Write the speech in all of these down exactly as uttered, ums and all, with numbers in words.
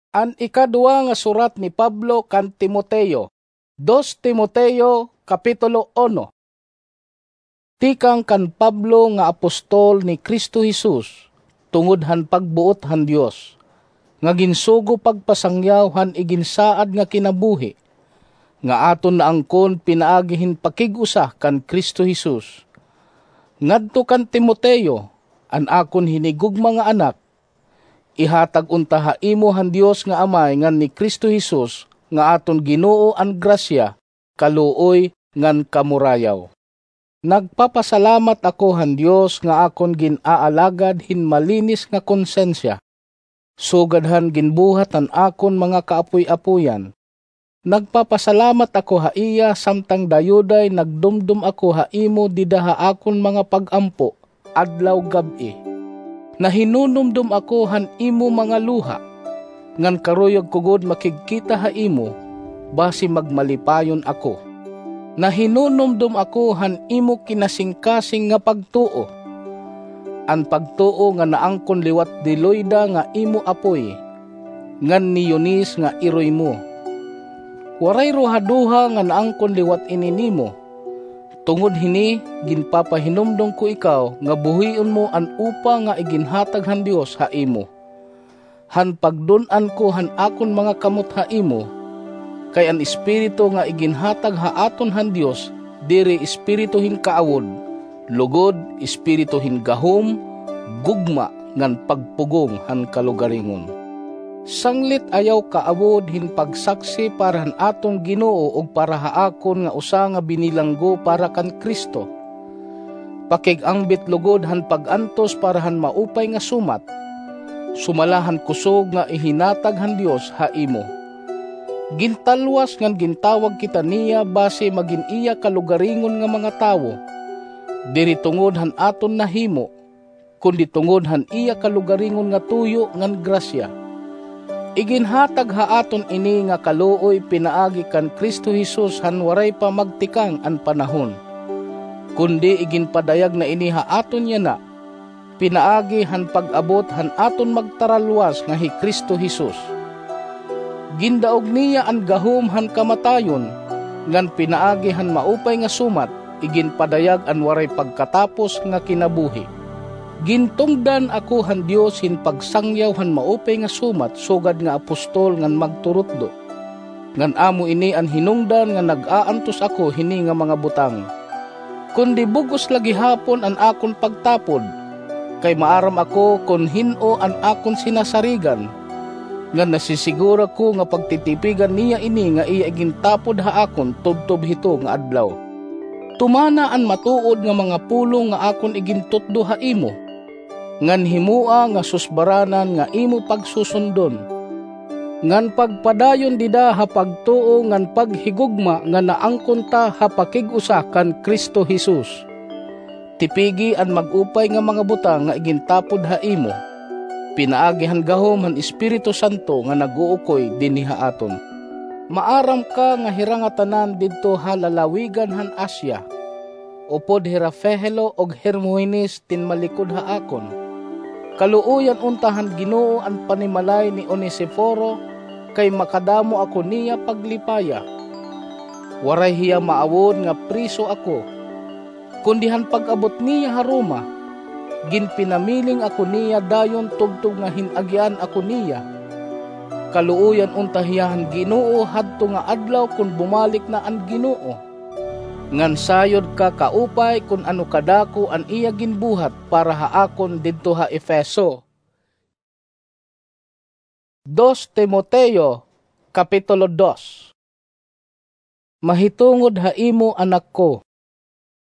An ikadua nga surat ni Pablo kan Timoteo. Dos Timoteo, kapitulo uno. Tikang kan Pablo nga apostol ni Cristo Jesus, tungod han pagbuot han Dios, nga ginsugo pagpasangyaw han iginsaad nga kinabuhi, nga aton naangkon pinaagi hin pakig-usa kan Cristo Jesus. Ngadto kan Timoteo, an akon hinigugma nga anak, ihatag unta ha imo han Dios nga Amay ngan ni Cristo Jesus nga aton Ginoo an grasya, kaluoy, ngan kamurayaw. Nagpapasalamat ako han Dios nga akon gin-aalagad hin malinis nga konsensya, sugad han ginbuhat han akon mga kaapoy-apoyan. Nagpapasalamat ako ha iya samtang dayuday nagdumdom ako ha imo dida ha akon mga pag-ampo adlaw gab-i. Nahinunumdom ako han imo mga luha, ngan karuyag ko gud makigkita ha imo, basi magmalipayon ako. Nahinunumdom ako han imo kinasingkasing nga pagtuo, an pagtuo nga naangkon liwat ni Loida nga imo apoy, ngan ni Eunice nga iroy mo. Waray ruhaduha nga naangkon liwat ini nimo. Tungod hini, ginpapahinumdom ko ikaw nga buhion mo an upa nga iginhatag han Dios ha imo. Han pagdun-an ko han akon mga kamot ha imo, kay an Espiritu nga iginhatag ha aton han Dios diri espiritu hin kaawod, lugod espiritu hin gahom, gugma, ngan pagpugong han kalugaringon. Sanglit ayaw kaawod hin pagsaksi para han aton Ginoo ug para ha akon nga usa nga binilanggo para kan Cristo. Pakig-angbit lugod han pag-antos para han maupay nga sumat, sumala han kusog nga ihinatag han Dios ha imo. Gintalwas ngan gintawag kita niya basi magin iya kalugaringon nga mga tawo, diri tungod han aton nahimo, kundi tungod han iya kalugaringon nga tuyo ngan grasya. Iginhatag ha aton ini nga kaluoy pinaagi kan Cristo Jesus han waray pa magtikang an panahon, kundi iginpadayag na ini ha aton yana, pinaagi han pag-abot han aton magtaralwas nga hi Cristo Jesus. Gindaog niya an gahom han kamatayon, ngan pinaagi han maupay nga sumat, iginpadayag an waray pagkatapos nga kinabuhi. Gintungdan ako han Dios hin pagsangyaw han maupay nga sumat sugad nga apostol ngan magturutdo. Ngan amo ini an hinungdan nga nag-aantos ako hini nga mga butang. Kundi bug-os la gihapon an akon pagtapod, kay maaram ako kon hin-o an akon sinasarigan, ngan nasisiguro ako nga pagtitipigan niya ini nga iya igintapod ha akon tubtob hito nga adlaw. Tumana an matuod nga mga pulong nga akon igintutdo ha imo, ngan himoa nga susbaranan nga imo pagsusundon, ngan pagpadayon dida ha pagtuo ngan paghigugma nga naangkon ta ha pakig-usa kan Cristo Jesus. Tipigi an mag-upay nga mga butang nga igintapod ha imo, pinaagi han gahom han Espiritu Santo nga nag-uukoy dinhi ha aton. Maaram ka nga hira ngatanan didto ha lalawigan han Asia, upod hira Figelo ug Hermogenes tinmalikod ha akon. Kaluoyan unta han Ginoo an panimalay ni Onesiforo, kay makadamo ako niya paglipaya. Waray hiya maawod nga priso ako, kundi han pag-abot niya ha Roma, ginpinamiling ako niya dayon tubtob nga hin-agian ako niya. Kaluoyan unta hiya han Ginoo hadto nga adlaw kon bumalik na an Ginoo. Ngan sayod ka kaupay kon ano kadako an iya ginbuhat para ha akon didto ha Efeso. Dos Timoteo, kapitulo dos. Mahitungod ha imo, anak ko,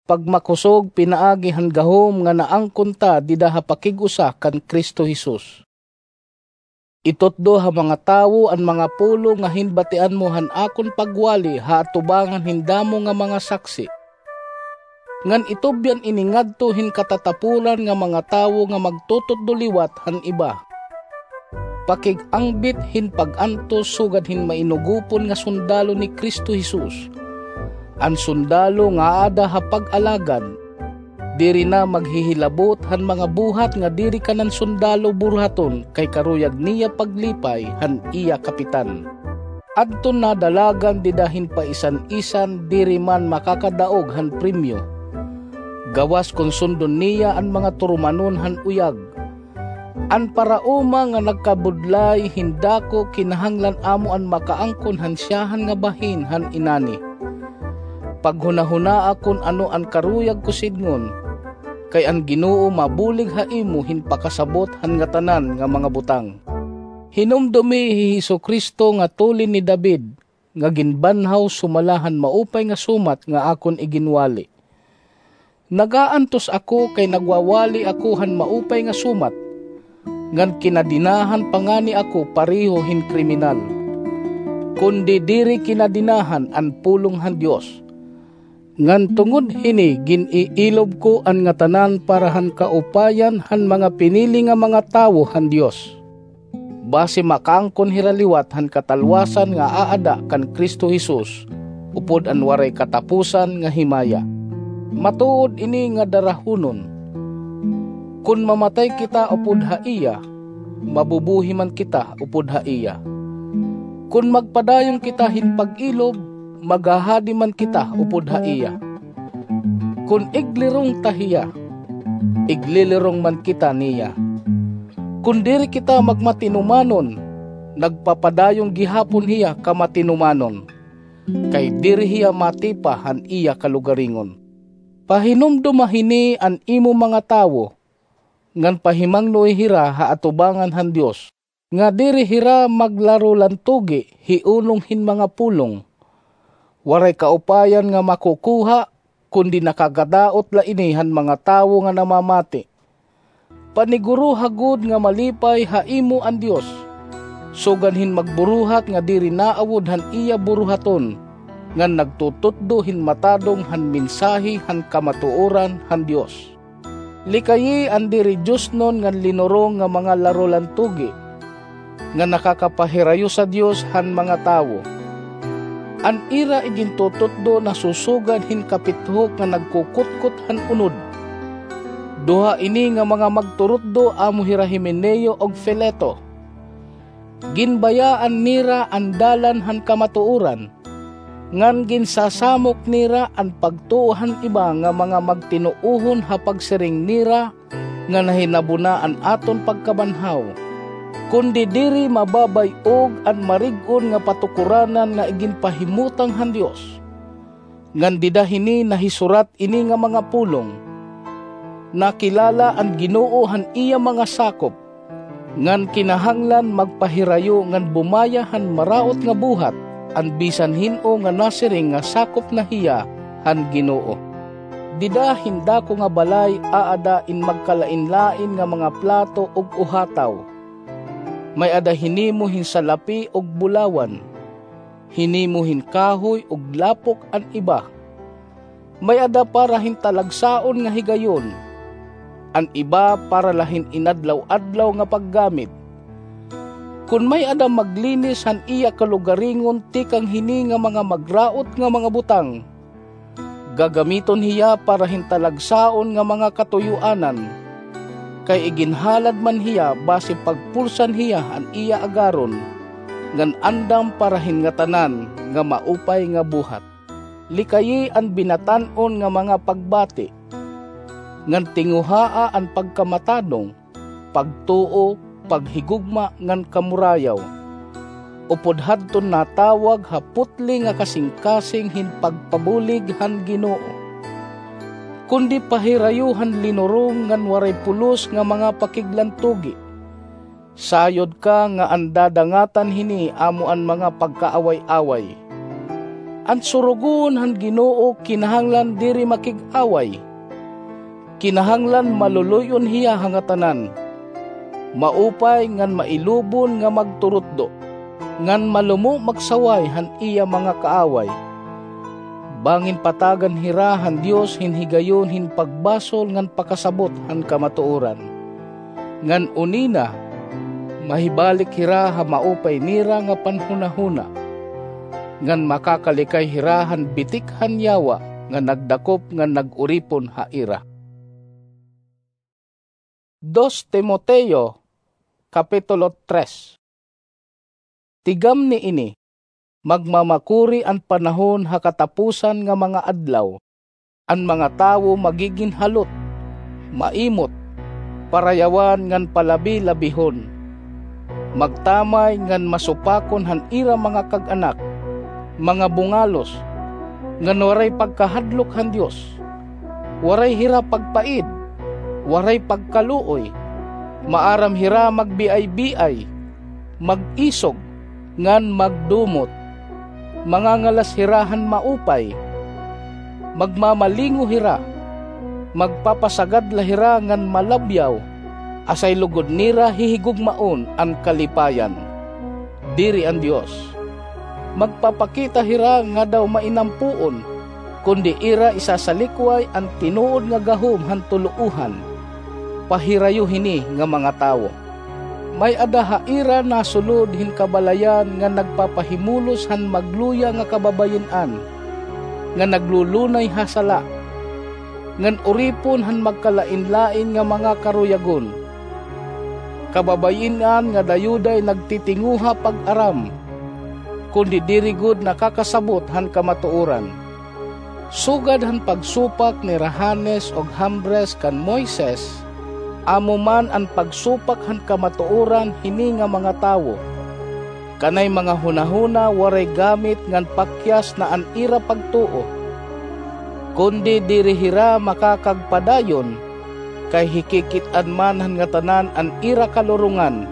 pagmakusog pinaagi han gahom nga naangkon ta dida ha pakig-usa kan Cristo Jesus. Itutdo ha mga tawo an mga pulong nga hinbatian mo han akon pagwali ha atubangan hin damo nga mga saksi. Ngan itubyan ini ngadto hin katatapulan nga mga tawo nga magtututdo liwat han iba. Pakig-angbit hin pag-antos sugad hin mainugopon nga sundalo ni Cristo Jesus, an sundalo nga aada ha pag-alagad. Diri na maghihilabot han mga buhat nga diri kanan sundalo buruhaton kay karuyag niya paglipay han iya kapitan. Adton nadalagan dida hin paisan-isan diri man makakadaog han premyo. Gawas kon sundon niya an mga turumanon han uyag. An paraoma nga nagkabudlay hin dako kinahanglan amo an makaangkon han siyahan nga bahin han inani. Paghunahunaa kon ano an karuyag ko sidngon, kay an Ginoo mabulig ha imo hin pakasabot han ngatanan nga mga butang. Hinumdomi hi Jesu-Cristo nga tulin ni David, nga ginbanhaw sumala han maupay nga sumat nga akon iginwali. Nagaantos ako kay nagwawali ako han maupay nga sumat, ngan kinadenahan pa ngani ako pareho hin kriminal. Kundi diri kinadenahan an pulong han Dios. Ngan tungod hini gin-iilob ko an ngatanan para han kaupayan han mga pinili nga mga tawo han Dios. Basi makaangkon hira liwat han katalwasan nga aada kan Cristo Jesus, upod an waray katapusan nga himaya. Matuod ini nga darahunon. Kon mamatay kita upod ha iya, mabubuhi man kita upod ha iya. Kon magpadayon kita hin pag-ilob, maghahadi man kita upod ha iya. Kon iglirong ta hiya, iglilirong man kita niya. Kon diri kita magmatinumanon, nagpapadayon gihapon hiya kamatinumanon, kay diri hiya matipa han iya kalugaringon. Pahinumdoma hini an imo mga tawo, ngan pahimangnoy hira ha atubangan han Dios, nga diri hira maglarolantugi hiunong hin mga pulong. Waray kaupayan nga makukuha, kundi nakakadaot la ini han mga tawo nga namamati. Paniguroha gud nga malipay ha imo an Dios, sugan hin magburuhat nga diri naawod han iya buruhaton, ngan nagtututdo hin matadong han mensahe han kamatuoran han Dios. Likayi an diri diosnon ngan linurong nga mga larolantugi, nga nakakapahirayo sa Dios han mga tawo. An ira igintututdo nasusugan hin kapithok nga nagkukutkot han unod. Duha ini nga mga magturutdo amo hira Himeneo ug Fileto. Ginbayaan nira an dalan han kamatuoran, ngan ginsasamok nira an pagtuo han iba nga mga magtinuohon ha pagsiring nira nga nahinabo na an aton pagkabanhaw, kundi diri mababay-og an marig-on nga patukoranan nga iginpahimutang han Dios. Ngan dida hini nahisurat ini nga mga pulong. Nakilala an Ginoo han iya mga sakop, ngan kinahanglan magpahirayo ngan bumaya han maraot nga buhat an bisan hin-o nga nasiring nga sakop na hiya han Ginoo. Dida hin dako nga balay aada in magkalainlain nga mga plato ug uhataw. May-ada hinimo hin salapi ug bulawan, hinimo hin kahoy ug lapok an iba. May-ada para hin talagsaon nga higayon, an iba para la hin inadlaw-adlaw nga paggamit. Kon may-ada maglinis han iya kalugaringon tikang hini nga mga magraot nga mga butang, gagamiton hiya para hin talagsaon nga mga katuyoanan, kay iginhalad man hiya basi pagpulsan hiya han iya agaron, ngan andam para hin ngatanan nga maupay nga buhat. Likayi an binatan-on nga mga pagbati, ngan tinguhaa an pagkamatadong, pagtuo, paghigugma ngan kamurayaw, upod hadton natawag ha putli nga kasingkasing hin pagpabulig han Ginoo. Kundi pahirayo han linurong ngan waray pulos nga mga pakiglantugi. Sayod ka nga an dadangatan hini amo an mga pagkaaway-away. An surugon han Ginoo kinahanglan diri makig-away. Kinahanglan maluloy-on hiya ha ngatanan, maupay ngan mailubon nga magturutdo, ngan malumo magsaway han iya mga kaaway. Bangin patagan hira han Dios hin higayon hin pagbasol ngan pakasabot han kamatuoran. Ngan unina, mahibalik hira ha maupay nira nga panhunahuna, ngan makakalikay hira han bitik han yawa nga nagdakop ngan nag-uripon ha ira. Dos Timoteo, Kapitulo tres. Tigam niini, magmamakuri an panahon ha katapusan nga mga adlaw. An mga tawo magigin halot, maimot, parayawan ngan palabi-labihon, magtamay ngan masupakon han ira mga kag-anak, mga bungalos, ngan waray pagkahadlok han Dios. Waray hira pagpaid, waray pagkaluoy, maaram hira magbiay-biay, mag-isog, ngan magdumot. Mangangalas hira han maupay, magmamalingo hira, magpapasagad la hira ngan malabyaw, asay lugod nira hihigugmaon an kalipayan. Diri an Dios. Magpapakita hira nga daw mainampoon, kundi ira isasalikway an tinuod nga gahom han tuloohan. Pahirayo hini nga mga tawo. May-ada ha ira nasulod hin kabalayan nga nagpapahimulos han magluya nga kababayin-an, nga naglulunay ha sala, ngan uripon han magkalain-lain nga mga karuyagon. Kababayin-an nga dayuday nagtitinguha pag-aram, kundi diri gud nakakasabot han kamatuoran. Sugad han pagsupak nira Janes ug Jambres kan Moises, amo man an pagsupak han kamatuoran hini nga mga tawo. Kanay mga hunahuna waray gamit ngan pakyas na an ira pagtuo, kundi diri hira makakagpadayon, kay hikikit-an man han ngatanan an ira kalurongan.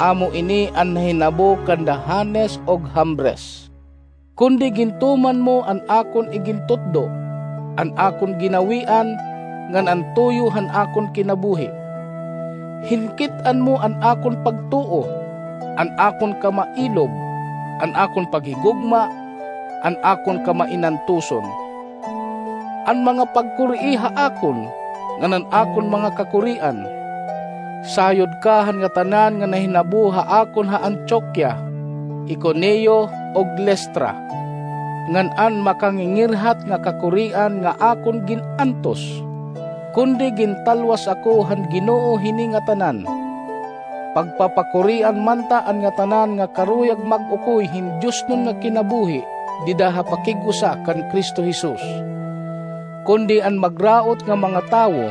Amo ini an nahinabo kanda Janes ug Jambres. Kundi gintuman mo an akon igintutdo, an akon ginawian, ngan an tuyo han akon kinabuhi. Hinkit-an mo an akon pagtuo, an akon kamailob, an akon paghigugma, an akon kamainantuson. An mga pagkurii ha akon, ngan an akon mga kakurian. Sayod ka han ngatanan nga nahinabo ha akon ha Antioquia, Iconio, ug Listra, ngan an makangingirhat nga kakurian nga akon gin-antos, kundi gintalwas ako han Ginoo hini ngatanan. Pagpapakurian man ta an ngatanan nga karuyag mag-ukoy hin diosnon nga kinabuhi dida ha pakig-usa kan Cristo Jesus. Kundi an magraot nga mga tawo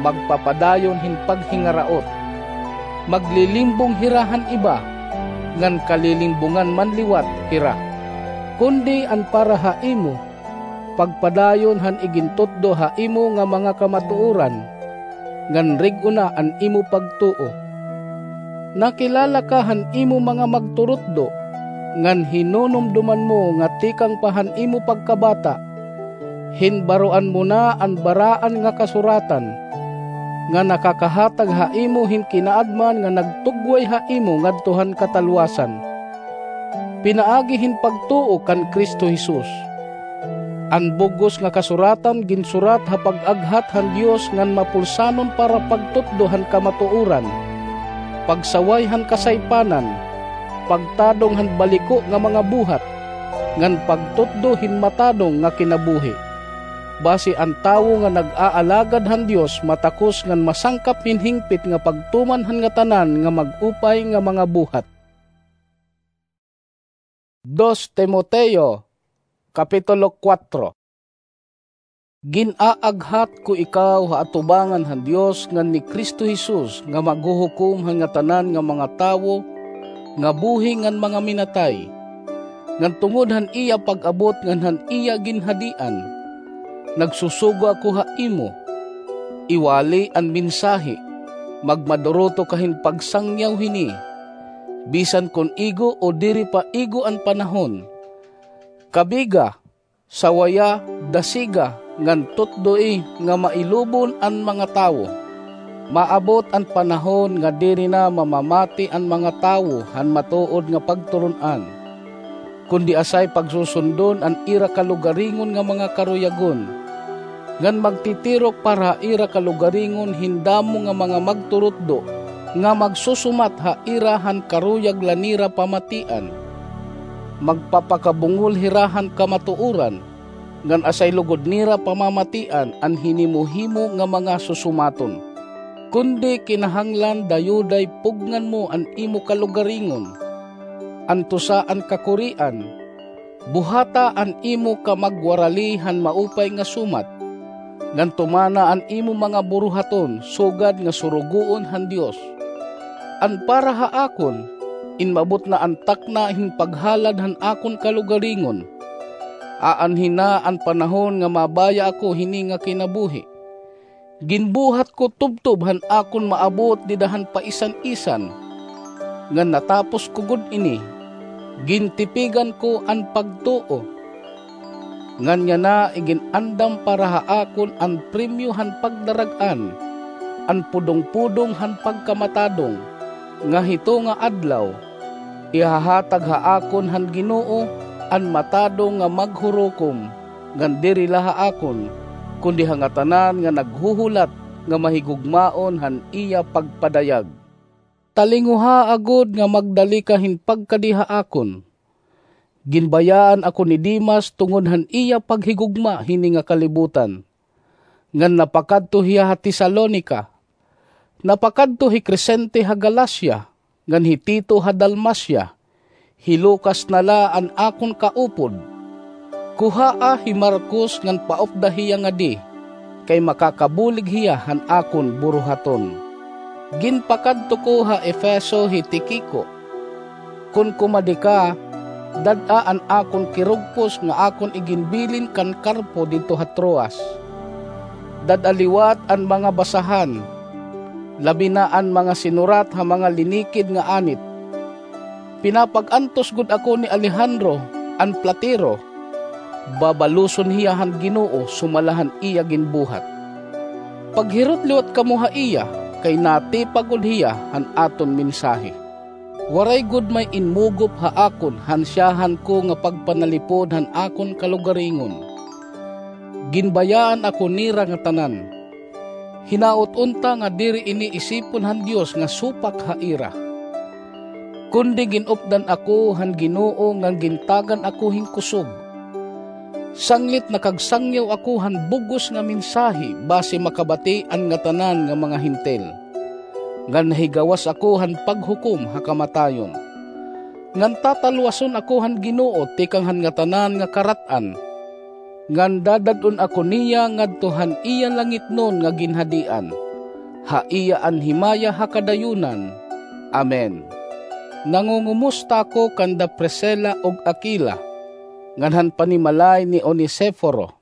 magpapadayon hin paghingaraot. Maglilimbong hira han iba, ngan kalilimbongan man liwat hira. Kundi an para ha imo, pagpadayon han igintutdo ha imo nga mga kamatuoran, ngan rig-o na an imo pagtuo. Nakilala ka han imo mga magturutdo, ngan hinunumdoman mo nga tikang pa han imo pagkabata, hinbaroan mo na an baraan nga kasuratan, nga nakakahatag ha imo hin kinaadman nga nagtugway ha imo ngadto han katalwasan. Pinaagi hin pagtuo kan Cristo Jesus. An bug-os nga kasuratan ginsurat ha pag-aghat han Dios ngan mapulsanon para pagtutdo han kamatuoran, pagsaway han kasaypanan, pagtadong han baliko nga mga buhat, ngan pagtutdo hin matadong nga kinabuhi. Basi an tawo nga nag-aalagad han Dios matakos ngan masangkap hin hingpit nga pagtuman han ngatanan nga mag-upay nga mga buhat. Dos Timoteo, Kapitulo kuwatro. Gin-aaghat ko ikaw ha atubangan han Dios ngan ni Cristo Jesus nga maghuhukom han ngatanan nga mga tawo nga buhi ngan mga minatay, ngan tungod han iya pag-abot ngan han iya ginhadian, nagsusugo ako ha imo, iwali an mensahe, magmaduruto ka hin pagsangyaw hini, bisan kon igo o diri pa igo an panahon. Kabiga, sawaya, dasiga, ngan tutdoi nga mailubon an mga tawo. Maabot an panahon nga diri na mamamati an mga tawo han matuod nga pagturon-an, kundi asay pagsusundon an ira kalugaringon nga mga karuyagon, ngan magtitirok para ha ira kalugaringon hin damo nga mga magturutdo nga magsusumat ha ira han karuyag la nira pamatian. Magpapakabungol hira han kamatuoran, ngan asay lugod nira pamamatian an hinimo-himo nga mga susumaton. Kundi kinahanglan dayuday pugngan mo an imo kalugaringon, antosa an kakurian, buhata an imo kamagwarali han maupay nga sumat, ngan tumana an imo mga buruhaton sugad nga surugoon han Dios. An para ha akon, inmabot na an takna hin paghalad han akon kalugaringon. Aanhi na an panahon nga mabaya ako hini nga kinabuhi. Ginbuhat ko tubtob han akon maabot dida han paisan-isan, ngan natapos ko gud ini, gintipigan ko an pagtuo. Ngan yana igin-andam para ha akon an premyo han pagdarag-an, an pudong-pudong han pagkamatadong, nga hito nga adlaw, ihahatag ha akon han Ginoo an matadong nga maghurukom, ngan diri la ha akon, kundi ha ngatanan nga naghuhulat nga mahigugmaon han iya pagpadayag. Talinguhaa gud nga magdali ka hin pagkadi ha akon. Ginbayaan ako ni Demas tungod han iya paghigugma hini nga kalibutan, ngan napakadto hiya ha Tesalonica. Napakadto hi Crescente ha Galacia, ngan hi Tito ha Dalmacia. Hi Lucas na la an akon kaupod. Kuhaa hi Marcos ngan paupda hiya ngadi, kay makakabulig hiya han akon buruhaton. Ginpakadto ko ha Efeso hi Tiquico. Kon kumadi ka, dad-a an akon kirugpos nga akon iginbilin kan Carpo didto ha Troas. Dad-a liwat an mga basahan, labi na an mga sinurat ha mga linikid nga anit. Pinapag-antos gud ako ni Alejandro, an platero. Babaluson hiya han Ginoo sumala han iya ginbuhat. Paghirot liwat kamo ha iya, kay natipa gud hiya han aton mensahe. Waray gud may inmugop ha akon han siyahan ko nga pagpanalipod han akon kalugaringon. Ginbayaan ako nira ngatanan. Hinaot unta nga diri ini isipon han Dios nga supak ha ira. Kundi gin-updan ako han Ginoo ngan gintagan ako hin kusog. Sanglit nakagsangyaw ako han bug-os nga mensahe basi makabati an ngatanan nga mga Hentil. Ngan nahigawas ako han paghukom ha kamatayon. Ngan tatalwason ako han Ginoo tikang han ngatanan nga karat-an. Ngan dadad-on ako niya ngadto han iya langitnon nga ginhadian. Ha iya an himaya ha kadayonan. Amen. Nangungumusta ako kanda Priscila ug Aquila, ngan han panimalay ni Onesiforo.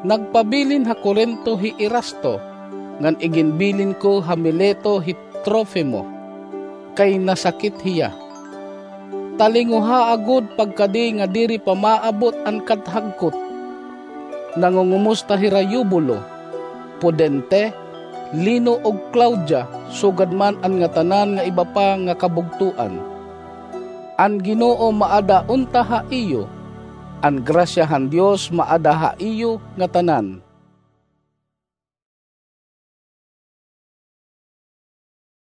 Nagpabilin ha Corinto hi Erasto, ngan iginbilin ko ha Mileto hi Trofimo, kay nasakit hiya. Talinguhaa gud pagkadi nga diri pa maabot an kadhagkot. Nangungumusta hira Eubulo, Pudente, Lino ug Claudia, sugad man an ngatanan nga iba pa nga kabugtoan. An Ginoo maada unta ha iyo. An grasya han Dios maada ha iyo ngatanan.